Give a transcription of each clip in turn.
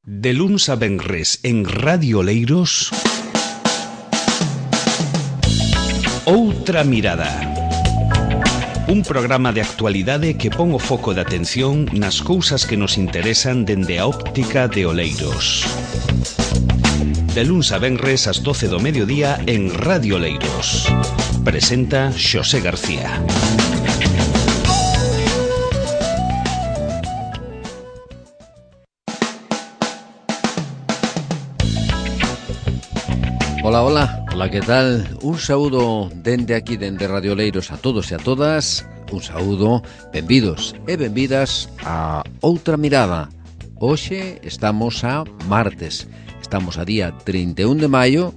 De luns a venres en Radio Oleiros, Outra Mirada. Un programa de actualidade que pon o foco de atención nas cousas que nos interesan dende a óptica de Oleiros. De luns a venres ás 12 do mediodía en Radio Oleiros. Presenta Xosé García. Hola, que tal? Un saúdo dende aquí, dende Radio Oleiros a todos e a todas. Un saúdo, benvidos e benvidas a Outra Mirada. Hoxe estamos a martes, estamos a día 31 de maio,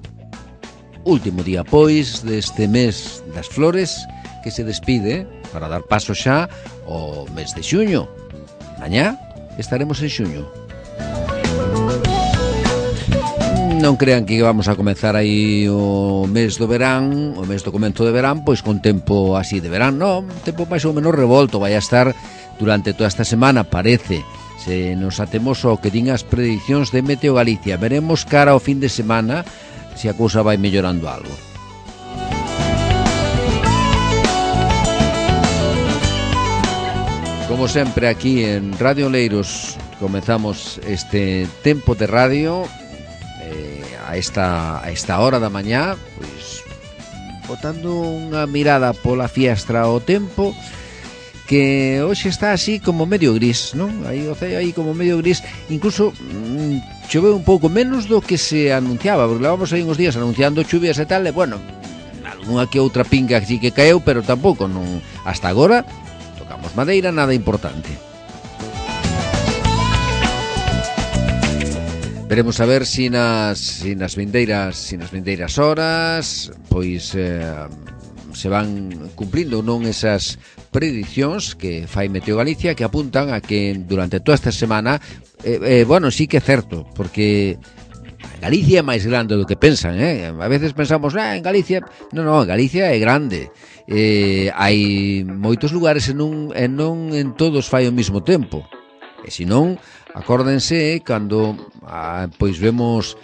último día, pois, deste mes das flores que se despide para dar paso xa ao mes de xuño. Mañá estaremos en xuño. Non crean que vamos a comezar aí o mes do verán, o mes do comento de verán, pois con tempo así de verán, non, tempo máis ou menos revolto, vai a estar durante toda esta semana, parece. Se nos atemos ao que din as predicións de Meteo Galicia, veremos cara ao fin de semana se a cousa vai mellorando algo. Como sempre aquí en Radio Oleiros comezamos este tempo de radio a esta hora da mañá, pois botando unha mirada pola fiestra ao tempo, que hoxe está así como medio gris, non? Aí o ceo aí como medio gris, incluso choveu un pouco menos do que se anunciaba, porque levamos aí uns días anunciando chuvias e tal, e bueno, algunha que outra pinga así que caeu, pero tampouco non, hasta agora tocamos madeira, nada importante. Veremos a ver si nas vindeiras horas pois se van cumplindo ou non esas predicións que fai Meteo Galicia, que apuntan a que durante toda esta semana bueno, sí que é certo, porque Galicia é máis grande do que pensan, a veces pensamos, en Galicia, non, en Galicia é grande, hai moitos lugares e non en todos fai ao mesmo tempo, e senón acórdense cando pois vemos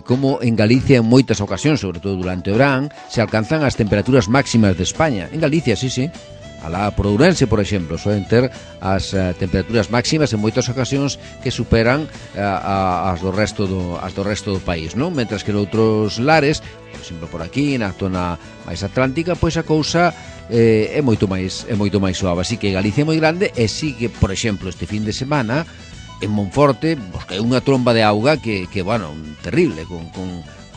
como en Galicia en moitas ocasións, sobre todo durante o verán, se alcanzan as temperaturas máximas de España. En Galicia, sí. Alá por Ourense, por exemplo, soen ter as temperaturas máximas en moitas ocasións que superan as do resto do país, non? Mentras que noutros lares, por exemplo, por aquí, na zona máis atlántica, pois a cousa é moito máis suave. Así que Galicia é moi grande e sí que, por exemplo, este fin de semana en Monforte, pues, que é unha tromba de auga que bueno, terrible, con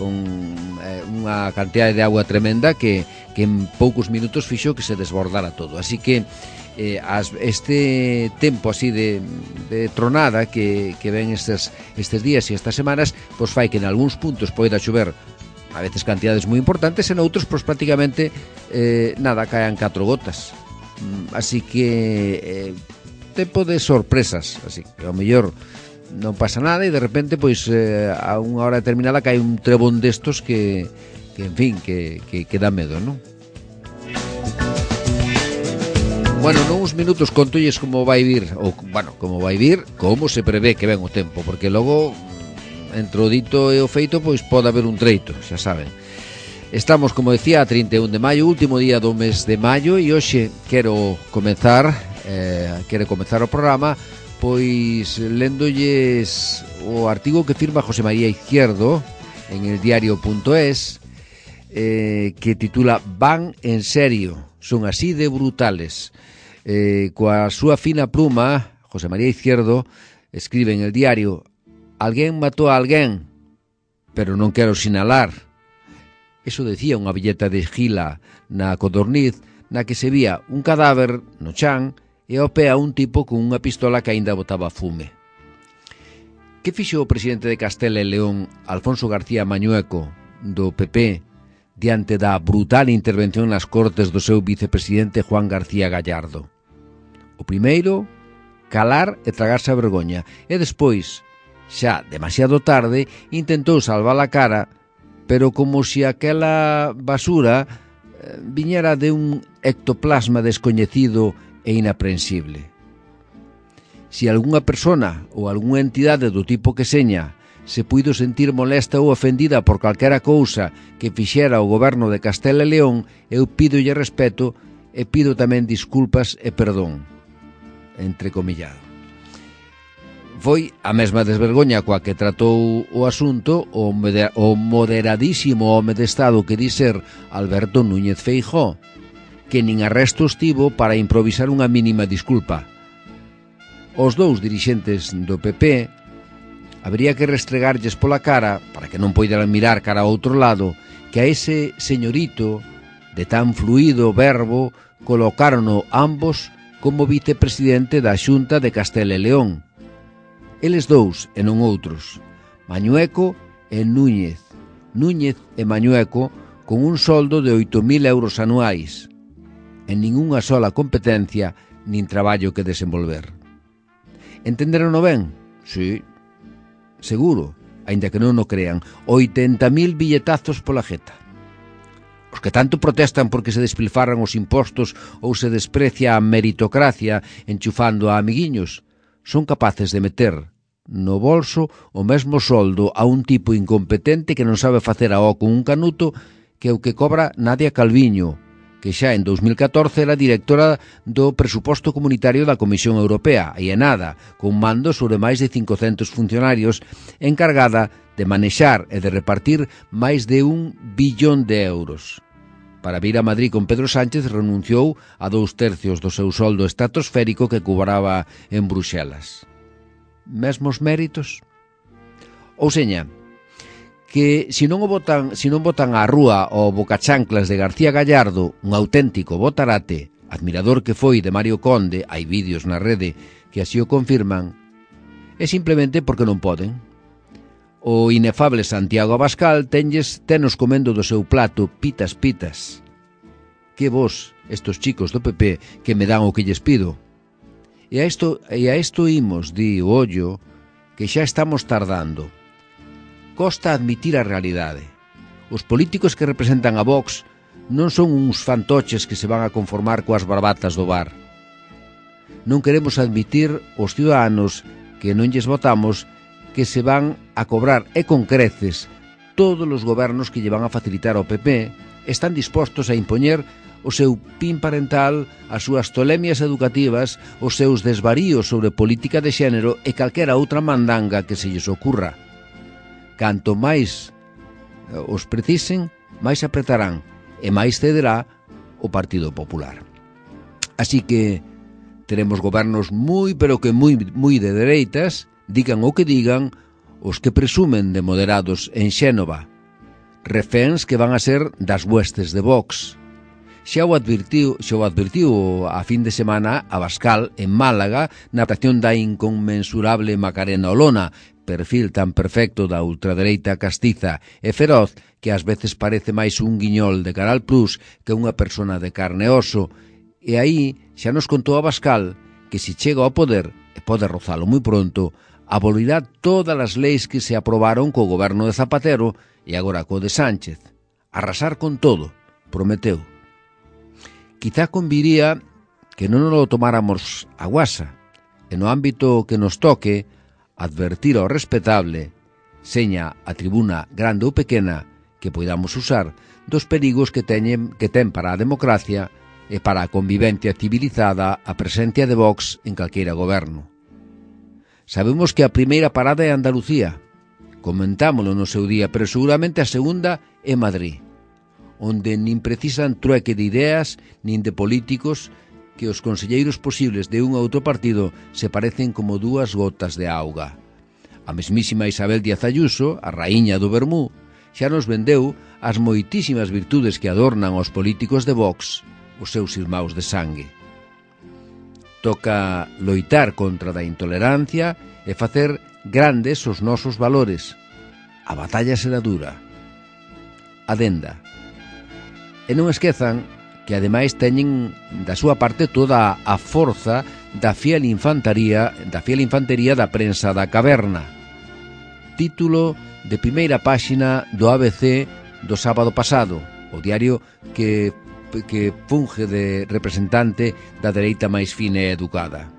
unha cantidade de auga tremenda que en poucos minutos fixo que se desbordara todo. Así que este tempo así de tronada que ven estes días e estas semanas, pues fai que en algúns puntos poida chover a veces cantidades moi importantes, en outros pues prácticamente nada, caen 4 gotas. Así que tempo de sorpresas, así que ao mellor non pasa nada e de repente pois a unha hora determinada cae un trebón destos que en fin, que dá medo, non? Bueno, nuns minutos contolles como vai vir, ou bueno, como se prevé que ven o tempo, porque logo entre o dito e o feito pois pode haber un treito, xa saben. Estamos, como decía, a 31 de maio, último día do mes de maio, e hoxe quero comezar o programa pois léndolles o artigo que firma José María Izquierdo en el diario.es, que titula Van en serio, son así de brutales. Coa súa fina pluma, José María Izquierdo escribe en el diario: alguén matou a alguén, pero non quero sinalar. Eso decía unha billeta de Gila na Codorniz, na que se vía un cadáver no chan e ao pé a un tipo con unha pistola que aínda botaba fume. Que fixo o presidente de Castela e León, Alfonso García Mañueco, do PP, diante da brutal intervención nas cortes do seu vicepresidente Juan García Gallardo? O primeiro, calar e tragarse a vergoña, e despois, xa demasiado tarde, intentou salvar a cara, pero como se aquela basura viñera de un ectoplasma descoñecido e inaprensible. Si algunha persona ou algunha entidade do tipo que seña se puido sentir molesta ou ofendida por calquera cousa que fixera o goberno de Castela e León, eu pídolle respeto e pido tamén disculpas e perdón, entrecomillado. Foi a mesma desvergoña coa que tratou o asunto o moderadísimo home de Estado que di ser Alberto Núñez Feijóo, que nin arresto estivo para improvisar unha mínima disculpa. Os dous dirixentes do PP habría que restregarlles pola cara, para que non poideran mirar cara ao outro lado, que a ese señorito de tan fluido verbo colocárono ambos como vicepresidente da Xunta de Castela e León. Eles dous e non outros, Mañueco e Núñez. Núñez e Mañueco con un soldo de 8.000 euros anuais, en ningunha sola competencia nin traballo que desenvolver. Entenderono ben? Sí, seguro, aínda que non o crean. 80.000 billetazos pola jeta. Os que tanto protestan porque se despilfarran os impostos ou se desprecia a meritocracia enchufando a amiguiños, son capaces de meter no bolso o mesmo soldo a un tipo incompetente que non sabe facer a con un canuto que o que cobra Nadia Calviño, que xa en 2014 era directora do presuposto comunitario da Comisión Europea, e nada, con mando sobre máis de 500 funcionarios, encargada de manexar e de repartir máis de 1 billón de euros. Para vir a Madrid con Pedro Sánchez renunciou a 2/3 do seu soldo estratosférico que cobraba en Bruxelas. Mesmos méritos? Ou seña, que se non botan á rúa o bocachanclas de García Gallardo, un auténtico botarate, admirador que foi de Mario Conde, hai vídeos na rede que así o confirman, é simplemente porque non poden. O inefable Santiago Abascal tenos comendo do seu plato pitas. Que vos, estos chicos do PP, que me dan o que lles pido. E a isto imos, di o ollo, que xa estamos tardando. Costa admitir a realidade. Os políticos que representan a Vox non son uns fantoches que se van a conformar coas barbatas do bar. Non queremos admitir os ciudadanos que non lles votamos que se van a cobrar e con creces todos os gobernos que lle van a facilitar ao PP están dispostos a impoñer o seu PIN parental, as súas tolemias educativas, os seus desvaríos sobre política de xénero e calquera outra mandanga que se lles ocurra. Canto máis os precisen, máis apretarán e máis cederá o Partido Popular. Así que teremos gobernos moi de dereitas, digan o que digan os que presumen de moderados en Xénova, reféns que van a ser das huestes de Vox. Xa o advirtiu a fin de semana Abascal en Málaga na actuación da inconmensurable Macarena Olona, perfil tan perfecto da ultradereita castiza e feroz que ás veces parece máis un guiñol de Canal Plus que unha persona de carne e oso. E aí xa nos contou Abascal que se chega ao poder, e pode rozalo moi pronto, abolirá todas as leis que se aprobaron co goberno de Zapatero e agora co de Sánchez. Arrasar con todo, prometeu. Quizá conviría que non nos lo tomáramos a guasa, e no ámbito que nos toque, advertir ao respetable, seña a tribuna grande ou pequena que poidamos usar, dos perigos que ten para a democracia e para a convivencia civilizada a presencia de Vox en calqueira goberno. Sabemos que a primeira parada é Andalucía, comentámolo no seu día, pero seguramente a segunda é Madrid, onde nin precisan trueque de ideas nin de políticos, que os conselleiros posibles de un outro partido se parecen como dúas gotas de auga. A mesmísima Isabel Díaz Ayuso, a raíña do vermú, xa nos vendeu as moitísimas virtudes que adornan aos políticos de Vox, os seus irmáns de sangue. Toca loitar contra da intolerancia e facer grandes os nosos valores. A batalla será dura. Adenda. E non esquezan que ademais teñen da súa parte toda a forza da fiel infantería da prensa da caverna. Título de primeira páxina do ABC do sábado pasado, o diario que funge de representante da dereita máis fina e educada.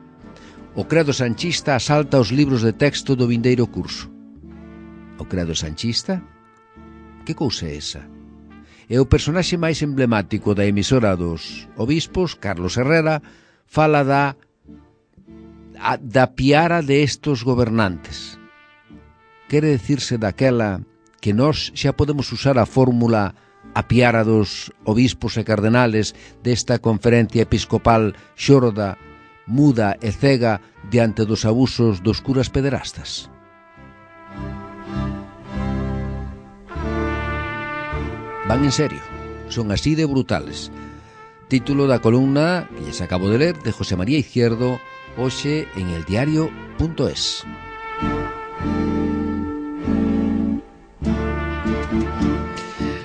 O credo sanchista asalta os libros de texto do vindeiro curso. O credo sanchista? Que cousa é esa? E o personaxe máis emblemático da emisora dos obispos, Carlos Herrera, fala da piara de estos gobernantes. Quere dicirse daquela que nós xa podemos usar a fórmula a piara dos obispos e cardenales desta conferencia episcopal xorda, muda e cega diante dos abusos dos curas pederastas? Van en serio, son así de brutales. Título da columna que lles acabo de ler de José María Izquierdo, hoxe en eldiario.es.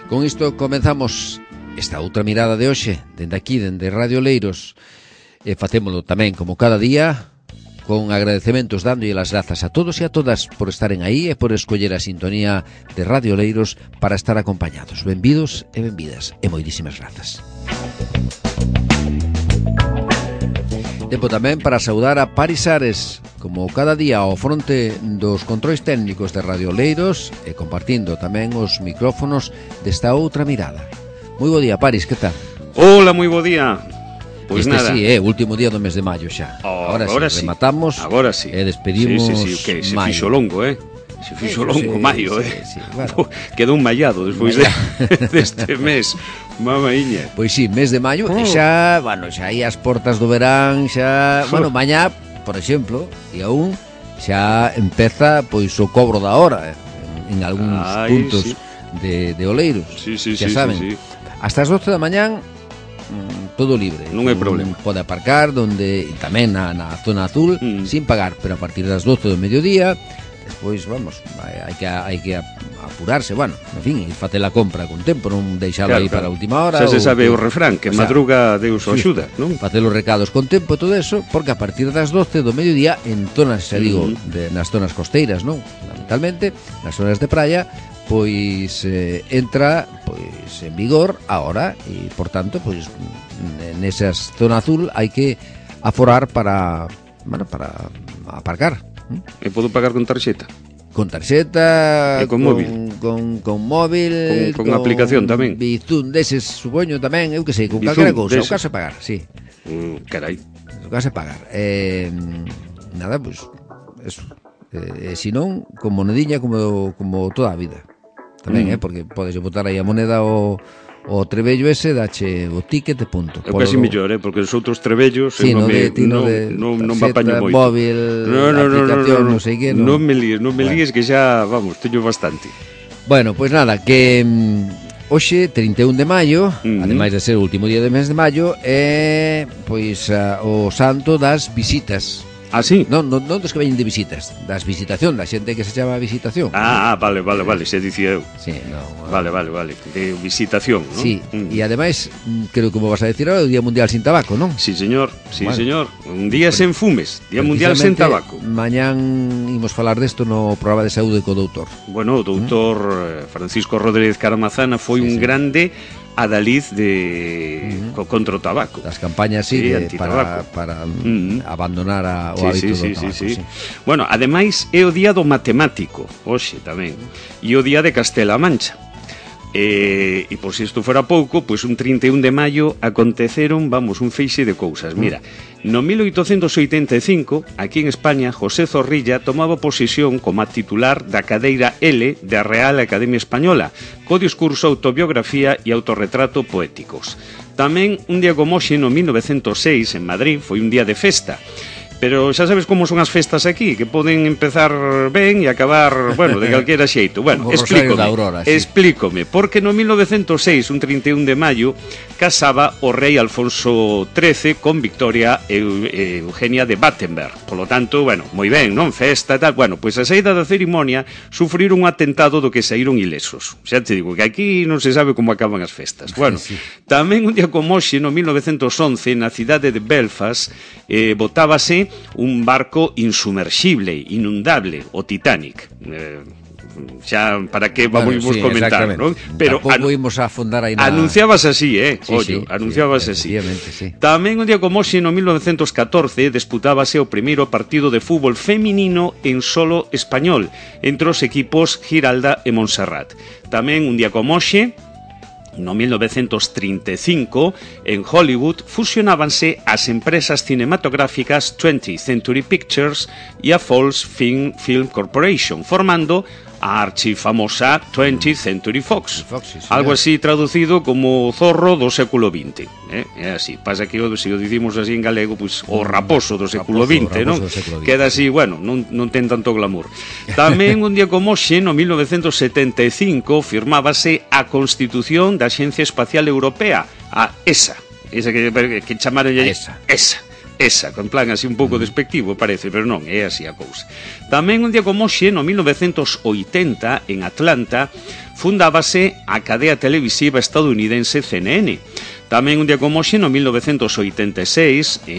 Con isto comenzamos esta outra mirada de hoxe, dende aquí, dende Radio Oleiros. E facémolo tamén, como cada día, con agradecementos dándolle as grazas a todos e a todas por estaren aí e por escoller a sintonía de Radio Oleiros para estar acompañados. Benvidos e benvidas, e moitísimas grazas. Tempo tamén para saudar a Paris Ares, como cada día ao fronte dos controis técnicos de Radio Oleiros e compartindo tamén os micrófonos desta outra mirada. Moi bo día, Paris, que tal? Hola, moi bo día. Pois este nada. Sí, último día do mes de maio xa. Agora sí, rematamos. Agora sí. E despedimos que se maio. fixo longo, Se fixo longo maio, sí, bueno. Quedou un mallado despois deste mes. Mamaiña. Pois sí, mes de maio, e xa, bueno, xa aí as portas do verán, xa, bueno, mañá, por exemplo, día 1, xa empeza pois o cobro da hora en algúns puntos de Oleiros. Sí, xa saben. Sí. Hasta as 12 da mañán todo libre. Non hai problema. Pode aparcar donde tamén na zona azul sin pagar, pero a partir das 12 do mediodía despois, vamos, hai que apurarse, bueno, en fin, ir facer a compra con tempo, non deixalo aí para a última hora. Xa se sabe o refrán, que madruga Deus o axuda, non? Facer os recados con tempo e todo eso, porque a partir das 12 do mediodía en zonas, xa digo, nas zonas costeiras, non? Fundamentalmente, nas zonas de praia, pois entra pois en vigor a hora e, por tanto, pois nesas zona azul hai que aforar para aparcar. E podo pagar con tarxeta? Con tarxeta, e con móvil, con móvil, con aplicación tamén. Bizum deses, supoño tamén, eu que sei, con calquera cousa, o caso é pagar, sí. Carai. O caso é pagar. Nada, pois eso. Se non, con monediña como toda a vida. Tamén, porque podes botar aí a moneda o trebello ese, dache o ticket e punto. É casi mellor, porque os outros trebellos non me apaño moito. Móvil, aplicación, non sei que. Non me líes que xa, vamos, teño bastante. Bueno, pois nada, que hoxe, 31 de maio, ademais de ser o último día do mes de maio, é pois o santo das visitas. Ah, sí? Non dos que veñen de visitas, das visitación, da xente que se chama visitación. Vale, se dicía eu. Sí, Vale, de visitación, non? Sí, e ademais, creo que como vas a decir ahora, o Día Mundial Sin Tabaco, non? Sí, señor, señor. Un día sen fumes, Día Mundial Sen Tabaco. Mañán imos falar desto no programa de saúde co doutor. Bueno, o doutor Francisco Rodríguez Caramazana foi un grande adalid contra o tabaco. Das campañas, para abandonar o hábito do tabaco. Sí. Bueno, ademais é o día do matemático, hoxe tamén, e o día de Castela-A Mancha. E por si isto fora pouco, pois un 31 de maio aconteceron, vamos, un feixe de cousas. Mira, no 1885, aquí en España, José Zorrilla tomaba posesión como titular da cadeira L da Real Academia Española, co discurso Autobiografía e Autorretrato poéticos. Tamén, un día como hoxe, no 1906, en Madrid, foi un día de festa. Pero xa sabes como son as festas aquí, que poden empezar ben e acabar, bueno, de calquera xeito. Bueno, explícome, porque no 1906, un 31 de maio, casaba o rei Alfonso XIII con Victoria Eugenia de Battenberg. Por lo tanto, bueno, moi ben, non? Festa e tal. Bueno, pois a saída da cerimonia sufriron un atentado do que saíron ilesos. Xa te digo que aquí non se sabe como acaban as festas. Bueno, tamén un día como hoxe, no 1911, na cidade de Belfast, botábase un barco insumerxible, inundable, o Titanic. xa para que vamos comentar, non? Pero tampouco imos a afondar aí na... Anunciabas así, anunciabas así. Sí. Tamén un día como hoxe, no 1914, disputábase o primeiro partido de fútbol feminino en solo español entre os equipos Giralda e Montserrat. Tamén un día como hoxe, no 1935, en Hollywood, fusionábanse as empresas cinematográficas 20th Century Pictures e a Falls Film Corporation, formando a archifamosa 20th Century Fox. Algo así traducido como zorro do século XX. É así. Pasa que se o dicimos así en galego, pois o raposo do século XX, non? Queda así, bueno, non ten tanto glamour. Tamén un día como hoxe, no 1975, firmábase a Constitución da Axencia Espacial Europea, a ESA. Esa que chamaron ESA, con plan así un pouco despectivo, parece, pero non, é así a cousa. Tamén un día como hoxe, no 1980, en Atlanta, fundábase a cadea televisiva estadounidense CNN. Tamén un día como hoxe, no 1986,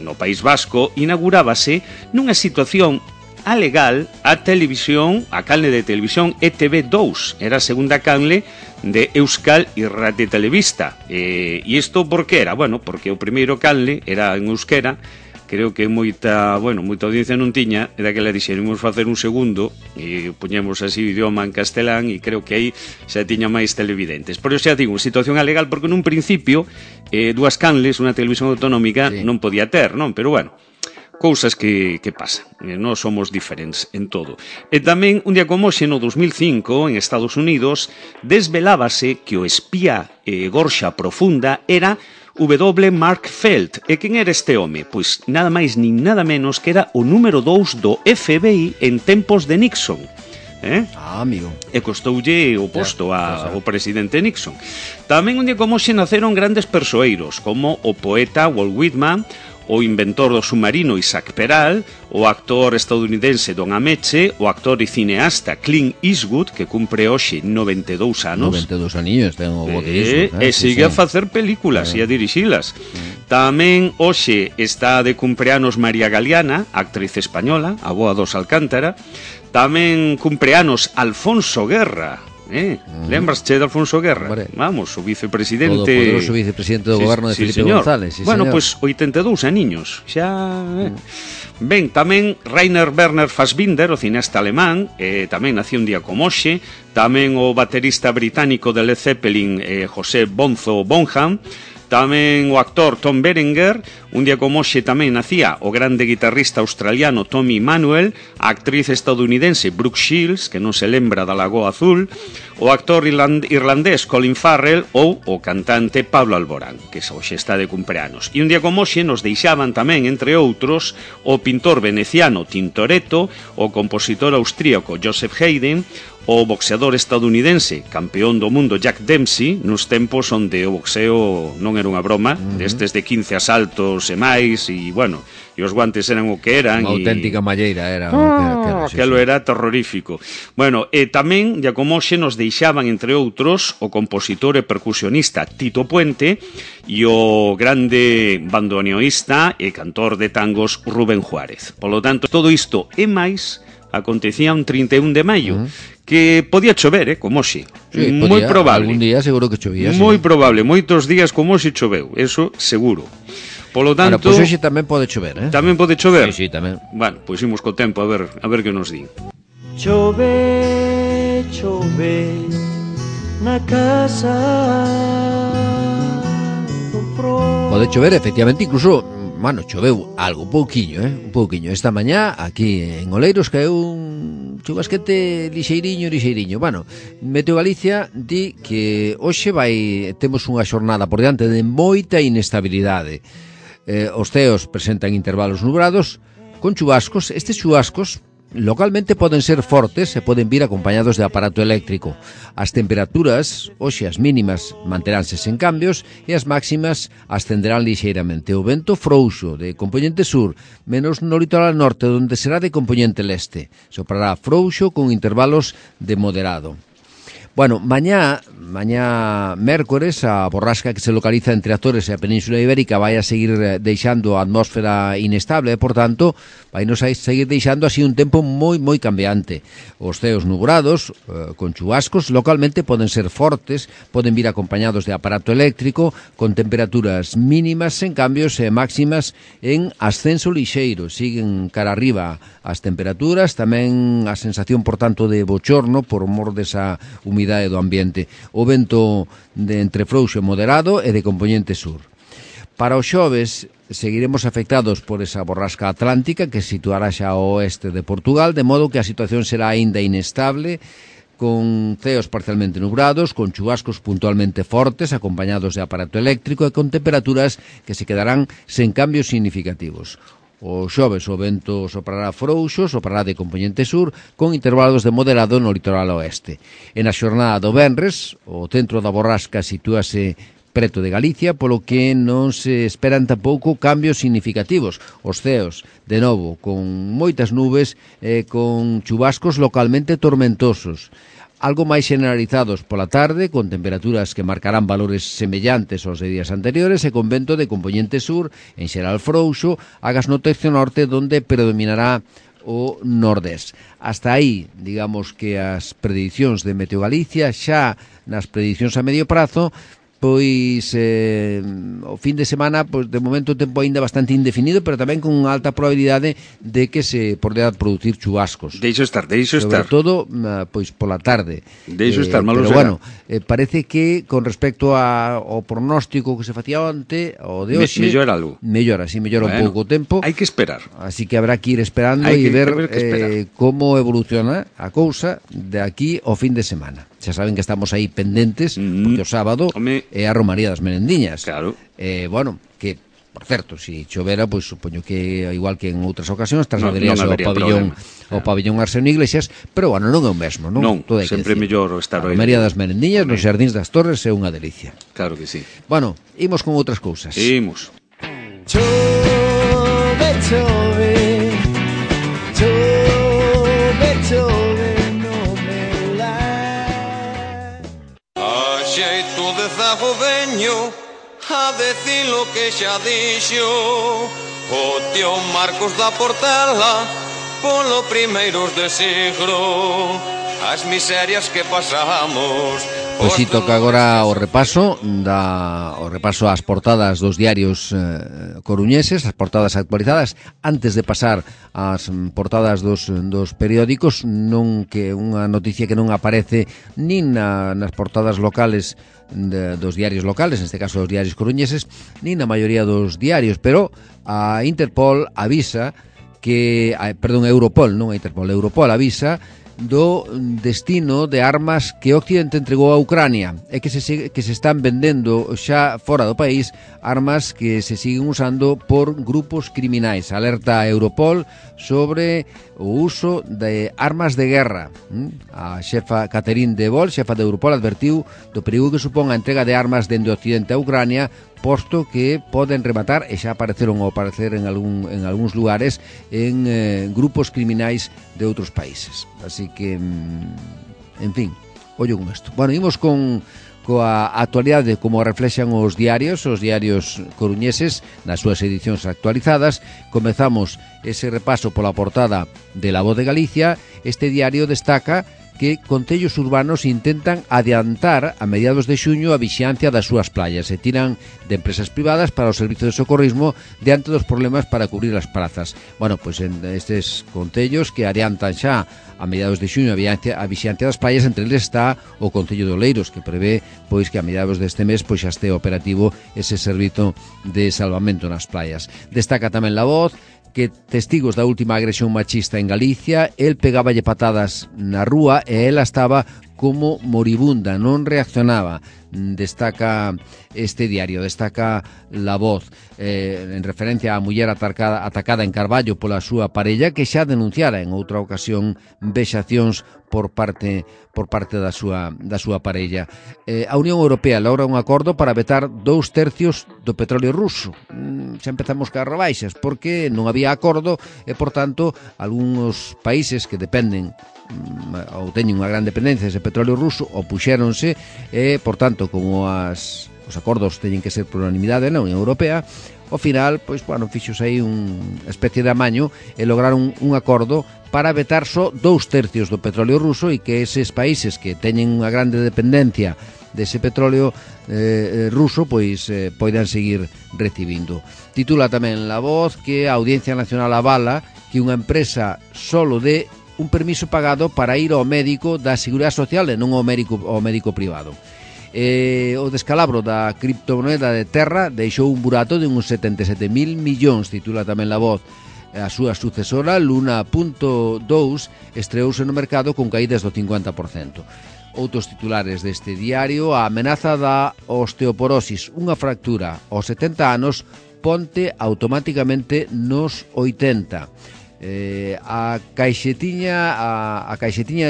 no País Vasco, inaugurábase nunha situación alegal a canle de televisión ETV2, era a segunda canle de Euskal Irrati Telebista. E isto por que era? Bueno, porque o primeiro canle era en euskera, creo que moita audiencia non tiña, e daquela dixeron, imos facer un segundo, e poñemos así o idioma en castelán, e creo que aí xa tiña máis televidentes. Por iso xa digo, situación alegal, porque nun principio, dúas canles, unha televisión autonómica, non podía ter, non? Pero bueno, cousas que pasan, non somos diferentes en todo. E tamén, un día como hoxe, no 2005, en Estados Unidos, desvelábase que o espía gorxa profunda era W. Mark Felt. E quen era este home? Pois nada máis nin nada menos que era o número 2 do FBI en tempos de Nixon. Amigo. E costoulle o posto ao presidente Nixon. Tamén un día como hoxe naceron grandes persoeiros, como o poeta Walt Whitman, o inventor do submarino Isaac Peral, o actor estadounidense Don Ameche, o actor e cineasta Clint Eastwood, que cumpre hoxe 92 anos. 92 aninhos, ten o boterismo. E sigue a facer películas e a dirixilas. Tamén hoxe está de cumpleanos María Galeana, actriz española, a boa dos Alcántara. Tamén cumpleanos Alfonso Guerra. Lembrasche de Alfonso Guerra? Vamos, o vicepresidente... O poderoso vicepresidente do goberno de Felipe González. Bueno, pois 82 aniños. Xa... Ben, tamén Rainer Werner Fassbinder, o cineasta alemán, tamén nació un día como hoxe. Tamén o baterista británico de Led Zeppelin, José Bonzo Bonham. Tamén o actor Tom Berenger, un día como hoxe tamén nacía o grande guitarrista australiano Tommy Emmanuel, a actriz estadounidense Brooke Shields, que non se lembra da Lagoa Azul, o actor irlandés Colin Farrell ou o cantante Pablo Alborán, que hoxe está de cumpleanos. E un día como hoxe nos deixaban tamén, entre outros, o pintor veneciano Tintoretto, o compositor austríaco Joseph Haydn, o boxeador estadounidense, campeón do mundo Jack Dempsey, nos tempos onde o boxeo non era unha broma, destes de 15 asaltos e máis, e bueno, e os guantes eran o que eran. Unha auténtica malleira era. Aquilo era terrorífico. Bueno, e tamén, ya como hoxe, nos deixaban, entre outros, o compositor e percusionista Tito Puente e o grande bandoneoísta e cantor de tangos Rubén Juárez. Por lo tanto, todo isto e máis acontecía un 31 de maio, que podía chover, como hoxe. Sí, moi probable. Algún día seguro que chovía. Moi probable, moitos días como hoxe choveu, eso seguro. Polo tanto, pois hoxe tamén pode chover, Tamén pode chover? Sí, tamén. Bueno, pois imos co tempo a ver que nos din. Chove, chove na casa. Pode chover, efectivamente, incluso, bueno, choveu algo, un pouquiño. Esta mañá, aquí en Oleiros, caeu un chubasquete lixeiriño. Bueno, Meteo Galicia di que hoxe temos unha xornada por diante de moita inestabilidade. Os ceos presentan intervalos nubrados con chubascos. Estes chubascos localmente poden ser fortes e poden vir acompañados de aparato eléctrico. As temperaturas, hoxe as mínimas, manteránse sen cambios e as máximas ascenderán lixeiramente. O vento frouxo de compoñente sur, menos no litoral norte, onde será de compoñente leste. Soprará frouxo con intervalos de moderado. Bueno, mañá mércores, a borrasca que se localiza entre Azores e a Península Ibérica vai a seguir deixando a atmósfera inestable e, por tanto, vai nos a seguir deixando así un tempo moi cambiante. Os ceos nubrados, con chubascos, localmente poden ser fortes, poden vir acompañados de aparato eléctrico, con temperaturas mínimas en cambios e máximas en ascenso lixeiro. Siguen cara arriba as temperaturas, tamén a sensación, por tanto, de bochorno por mor desa humidade do ambiente. O vento de entre frouxo e moderado e de compoñente sur. Para os xoves seguiremos afectados por esa borrasca atlántica que situará xa ao oeste de Portugal, de modo que a situación será aínda inestable, con ceos parcialmente nubrados, con chubascos puntualmente fortes, acompañados de aparato eléctrico e con temperaturas que se quedarán sen cambios significativos. O xoves o vento soprará frouxo, soprará de compoñente sur, con intervalos de moderado no litoral oeste. E na xornada do venres, o centro da borrasca sitúase preto de Galicia, polo que non se esperan tampouco cambios significativos. Os ceos, de novo, con moitas nubes e con chubascos localmente tormentosos. Algo máis generalizados pola tarde, con temperaturas que marcarán valores semellantes aos de días anteriores e con vento de compoñente sur, en xeral frouxo, agas no tercio norte, donde predominará o nordés. Hasta aí, digamos que as predicións de Meteo Galicia, xa nas predicións a medio prazo, pois o fin de semana, pois de momento o tempo aínda bastante indefinido, pero tamén con alta probabilidade de que se poderá producir chubascos. Deixo estar. Sobre todo, pois pola tarde. Deixo estar, malo pero será. Bueno, parece que con respecto ao pronóstico que se facía onte, o de hoxe... Mellora algo. Mellora un pouco o tempo. Hai que esperar. Así que habrá que ir esperando e ver como evoluciona a cousa de aquí ao fin de semana. Xa saben que estamos aí pendentes, porque o sábado é a Romaría das Merendiñas. Claro. Bueno, que, por certo, se chovera, pois supoño que, igual que en outras ocasións, trasladaríase ao pabillón Arsenio Iglesias, pero, bueno, non é o mesmo, non? Non, sempre mellor estar a Romaría das Merendiñas, nos Xardíns das Torres, é unha delicia. Claro que sí. Bueno, imos con outras cousas. Imos. Chove, chove, chove, chove. Xeito de zago veño a decir lo que xa dixo o tío Marcos da Portela polo primeiros de siglo as miserias que pasamos. Pois si toca agora o repaso ás portadas dos diarios coruñeses, as portadas actualizadas, antes de pasar ás portadas dos periódicos, non que unha noticia que non aparece nin nas portadas locales dos diarios locales, neste caso dos diarios coruñeses, nin na maioría dos diarios, pero a Interpol avisa que, Europol, non a Interpol, Europol avisa do destino de armas que Occidente entregou a Ucrania e que se están vendendo xa fora do país, armas que se siguen usando por grupos criminais. Alerta a Europol sobre o uso de armas de guerra. A xefa Catherine de Boll, xefa de Europol, advertiu do perigo que supón a entrega de armas dende Occidente a Ucrania, posto que poden rematar, e xa apareceron ou aparecer en algúns lugares, en grupos criminais de outros países. Así que, en fin, ollo con isto. Bueno, imos coa actualidade como reflexan os diarios coruñeses nas súas edicións actualizadas. Comezamos ese repaso pola portada de La Voz de Galicia. Este diario destaca que concellos urbanos intentan adiantar a mediados de xuño a vixiancia das súas playas e tiran de empresas privadas para o servizo de socorrismo diante dos problemas para cubrir as prazas. Bueno, pois en estes concellos que adiantan xa a mediados de xuño a vixiancia das playas, entre eles está o Concello de Oleiros, que prevé pois que a mediados deste mes pois xa este operativo ese servizo de salvamento nas playas. Destaca tamén La Voz que testigos da última agresión machista en Galicia, el pegáballe patadas na rúa e ela estaba como moribunda, non reaccionaba. Destaca este diario, destaca La Voz, en referencia á muller atacada en Carballo pola súa parella, que xa denunciara en outra ocasión vexacións por parte da súa parella. A Unión Europea logra un acordo para vetar 2/3 do petróleo ruso. Xa empezamos cas rebaixas, porque non había acordo e, por tanto, algúns países que dependen ou teñen unha gran dependencia dese petróleo ruso, opuxéronse e, por tanto, como os acordos teñen que ser por unanimidade na Unión Europea, ao final, pois, bueno, fixos aí unha especie de amaño e lograron un acordo para vetar só 2/3 do petróleo ruso e que eses países que teñen unha grande dependencia dese petróleo ruso, pois poidan seguir recibindo. Titula tamén La Voz que a Audiencia Nacional avala que unha empresa solo dé un permiso pagado para ir ao médico da Seguridade Social e non ao médico privado. O descalabro da criptomoneda de Terra deixou un burato de uns 77.000 millóns, titula tamén La Voz. A súa sucesora, Luna.2, estreouse no mercado con caídas do 50%. Outros titulares deste diario: a amenaza da osteoporosis, unha fractura aos 70 anos, ponte automáticamente nos 80. A caixetiña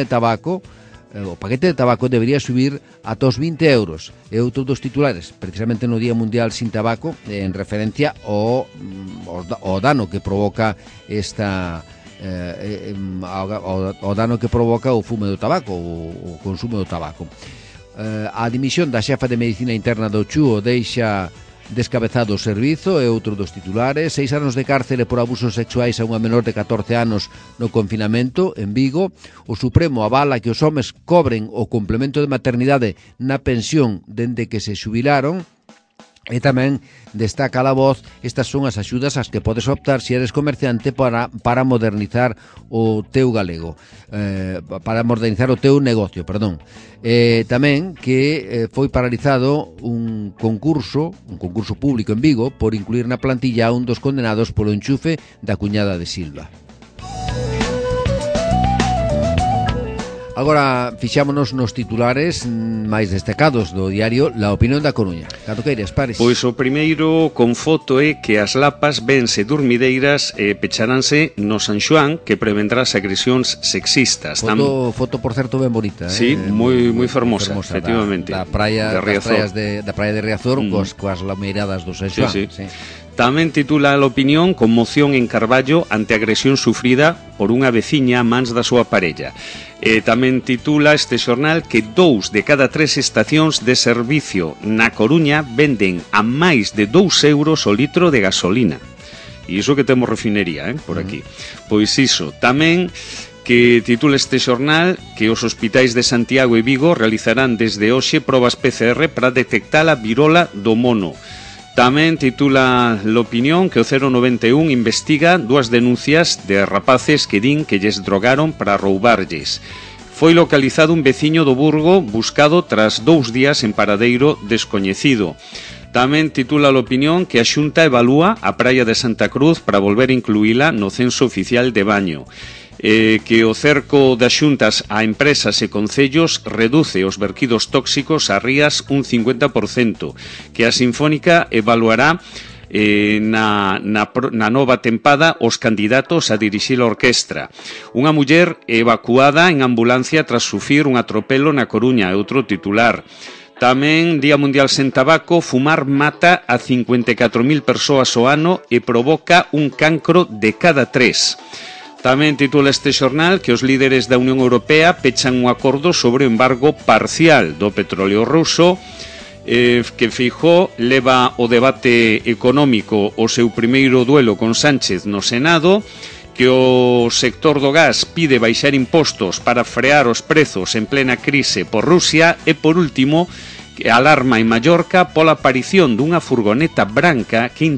de tabaco, o paquete de tabaco debería subir ata os 20 euros. E outro dos titulares, precisamente no Día Mundial sin Tabaco, en referencia ao dano que provoca o dano que provoca o fume do tabaco, o consumo do tabaco. A dimisión da xefa de Medicina Interna do Chúo deixa descabezado o servizo, e outro dos titulares: 6 anos de cárcere por abusos sexuais a unha menor de 14 anos no confinamento en Vigo. O Supremo avala que os homes cobren o complemento de maternidade na pensión dende que se xubilaron. E tamén destaca La Voz: estas son as axudas ás que podes optar se eres comerciante para modernizar o teu galego, para modernizar o teu negocio, perdón. Tamén que foi paralizado un concurso público en Vigo por incluir na plantilla a un dos condenados polo enchufe da cuñada de Silva. Agora fixámonos nos titulares máis destacados do diario La Opinión da Coruña. Cando queiras, Paris. Pois o primeiro con foto é que as lapas vense dormideiras e pecharánse no San Xoán, que prevendrá as agresións sexistas. Foto por certo, ben bonita. Sí, moi fermosa, efectivamente. Da praia de Riazor, coas lameiradas do San Xoán. Sí. Tamén titula a opinión: conmoción en Carballo ante agresión sufrida por unha veciña a mans da súa parella. Tamén titula este xornal que 2 de cada 3 estacións de servicio na Coruña venden a máis de 2 euros o litro de gasolina. E iso que temos refinería, por aquí. Pois iso. Tamén que titula este xornal que os hospitais de Santiago e Vigo realizarán desde hoxe probas PCR para detectar a virola do mono. Tamén titula l'opinión que o 091 investiga 2 denuncias de rapaces que din que lles drogaron para roubarlles. Foi localizado un veciño do Burgo buscado tras 2 días en paradeiro descoñecido. Tamén titula l'opinión que a Xunta evalúa a praia de Santa Cruz para volver a incluíla no censo oficial de baño. Que o cerco das xuntas a empresas e concellos reduce os verquidos tóxicos a rías un 50%, que a Sinfónica evaluará na nova tempada os candidatos a dirixir a orquestra. Unha muller evacuada en ambulancia tras sufrir un atropelo na Coruña, é outro titular. Tamén, Día Mundial sen Tabaco, fumar mata a 54.000 persoas ao ano e provoca un cancro de cada 3. Tamén titula este xornal que os líderes da Unión Europea pechan un acordo sobre o embargo parcial do petróleo ruso, que Feijóo leva o debate económico o seu primeiro duelo con Sánchez no Senado, que o sector do gas pide baixar impostos para frear os prezos en plena crise por Rusia e, por último, que alarma en Mallorca pola aparición dunha furgoneta branca que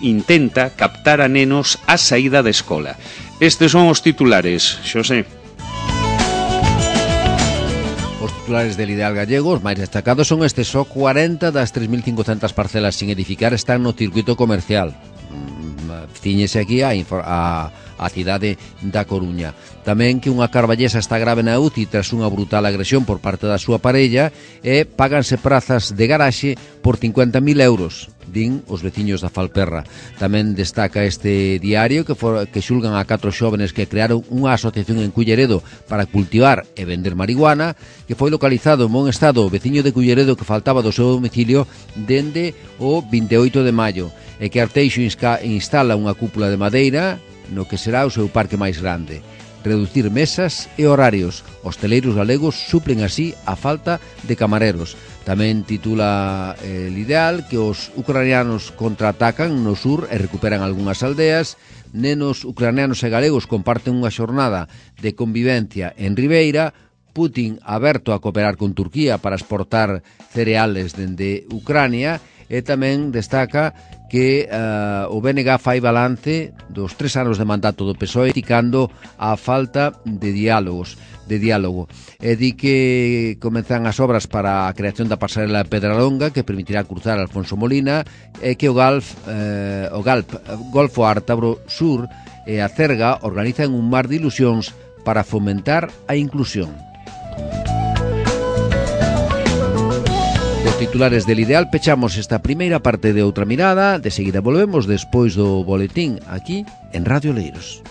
intenta captar a nenos á saída da escola. Estes son os titulares, Xosé. Os titulares del Ideal Gallego, os máis destacados son estes: só 40 das 3.500 parcelas sin edificar están no circuito comercial. Ciñese aquí a cidade da Coruña. Tamén que unha carballesa está grave na UCI tras unha brutal agresión por parte da súa parella, e páganse prazas de garaxe por 50.000 euros, din os veciños da Falperra. Tamén destaca este diario que xulgan a 4 xóvenes que crearon unha asociación en Culleredo para cultivar e vender marihuana, que foi localizado en bon estado o veciño de Culleredo que faltaba do seu domicilio dende o 28 de maio, e que Arteixo instala unha cúpula de madeira no que será o seu parque máis grande. reducir mesas e horarios. Hosteleiros galegos suplen así a falta de camareros. Tamén titula El Ideal que os ucranianos contraatacan no sur e recuperan algunhas aldeas. Nenos ucranianos e galegos comparten unha xornada de convivencia en Ribeira. Putin aberto a cooperar con Turquía para exportar cereales dende Ucrania. E tamén destaca que o BNG fai balance dos 3 anos de mandato do PSOE criticando a falta de diálogo. E di que comenzan as obras para a creación da pasarela de Pedralonga que permitirá cruzar Alfonso Molina e que o Golfo Ártabro Sur e a Cerga organizan un mar de ilusións para fomentar a inclusión. Titulares del Ideal, pechamos esta primeira parte de Outra Mirada. De seguida volvemos despois do boletín aquí en Radio Oleiros.